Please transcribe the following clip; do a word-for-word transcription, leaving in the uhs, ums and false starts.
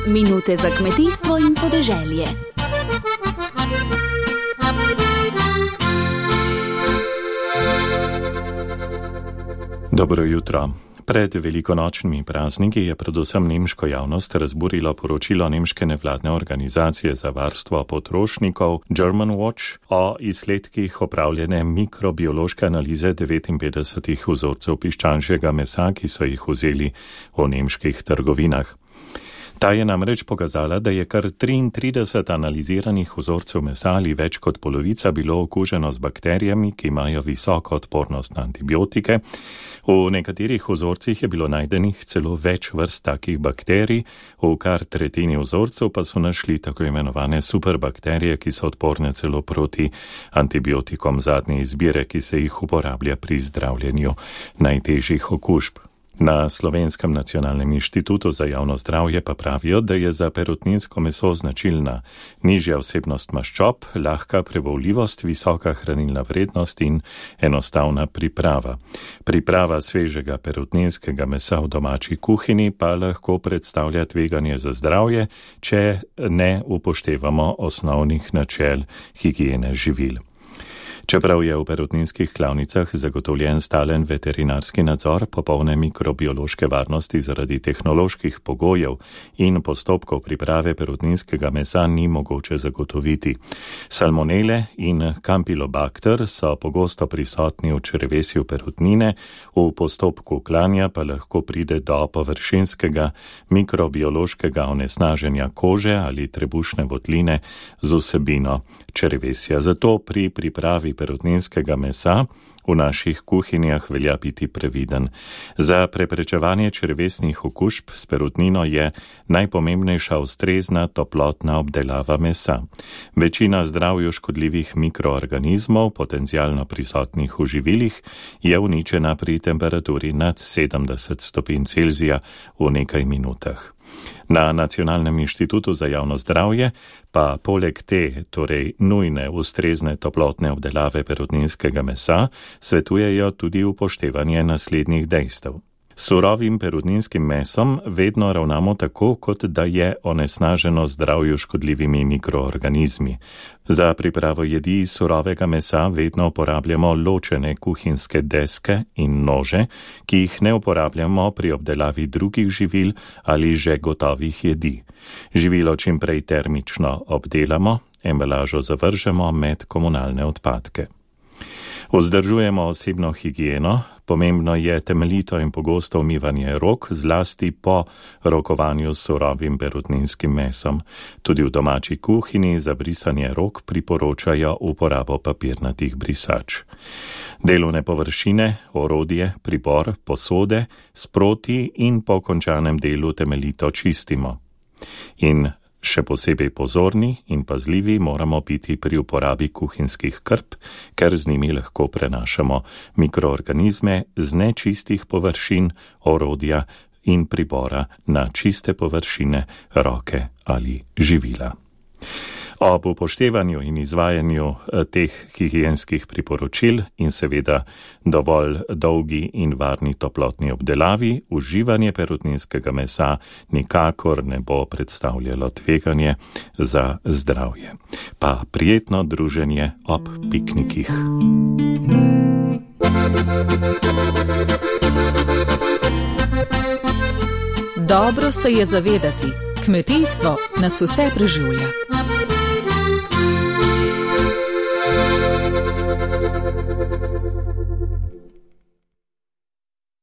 Minute za kmetijstvo in podeželje. Dobro jutro. Pred velikonočnimi prazniki je predvsem nemško javnost razburilo poročilo nemške nevladne organizacije za varstvo potrošnikov German Watch o izsledkih opravljene mikrobiološke analize devetinpetdesetih vzorcev piščančjega mesa, ki so jih vzeli v nemških trgovinah. Ta je namreč pokazala, da je kar triintrideset analiziranih vzorcev mesa ali več kot polovica bilo okuženo z bakterijami, ki imajo visoko odpornost na antibiotike. V nekaterih vzorcih je bilo najdenih celo več vrst takih bakterij, v kar tretjini vzorcev pa so našli tako imenovane superbakterije, ki so odporne celo proti antibiotikom zadnje izbire, ki se jih uporablja pri zdravljenju najtežjih okužb. Na Slovenskem nacionalnem inštitutu za javno zdravje pa pravijo, da je za perutninsko meso značilna nižja vsebnost maščob, lahka prebavljivost, visoka hranilna vrednost in enostavna priprava. Priprava svežega perutninskega mesa v domači kuhinji pa lahko predstavlja tveganje za zdravje, če ne upoštevamo osnovnih načel higiene živil. Čeprav je v perutninskih klavnicah zagotovljen stalen veterinarski nadzor, popolne mikrobiološke varnosti zaradi tehnoloških pogojev in postopkov priprave perutninskega mesa ni mogoče zagotoviti. Salmonele in kampilobakter so pogosto prisotni v črevesju perutnine, v postopku klanja pa lahko pride do površinskega mikrobiološkega onesnaženja kože ali trebušne votline z vsebino črevesja. Zato pri pripravi perutninskega mesa v naših kuhinjah velja biti previden. Za preprečevanje črevesnih okužb s perutnino je najpomembnejša ustrezna toplotna obdelava mesa. Večina zdravju škodljivih mikroorganizmov, potencialno prisotnih v živilih, je uničena pri temperaturi nad sedemdeset stopinj Celzija v nekaj minutah. Na Nacionalnem inštitutu za javno zdravje pa poleg te, torej nujne ustrezne toplotne obdelave perutninskega mesa, svetujejo tudi upoštevanje naslednjih dejstev. S surovim perutninskim mesom vedno ravnamo tako, kot da je onesnaženo zdravju škodljivimi mikroorganizmi. Za pripravo jedi iz surovega mesa vedno uporabljamo ločene kuhinjske deske in nože, ki jih ne uporabljamo pri obdelavi drugih živil ali že gotovih jedi. Živilo čim prej termično obdelamo, embalažo zavržemo med komunalne odpadke. Vzdržujemo osebno higieno, pomembno je temeljito in pogosto umivanje rok, zlasti po rokovanju s surovim perutninskim mesom. Tudi v domači kuhinji za brisanje rok priporočajo uporabo papirnatih brisač. Delovne površine, orodje, pribor, posode sproti in po končanem delu temeljito čistimo. In še posebej pozorni in pazljivi moramo biti pri uporabi kuhinjskih krp, ker z njimi lahko prenašamo mikroorganizme z nečistih površin, orodja in pribora na čiste površine, roke ali živila. Ob upoštevanju in izvajanju teh higienskih priporočil in seveda dovolj dolgi in varni toplotni obdelavi, uživanje perutninskega mesa nikakor ne bo predstavljalo tveganje za zdravje. Pa prijetno druženje ob piknikih. Dobro se je zavedati, kmetijstvo nas vse preživlja.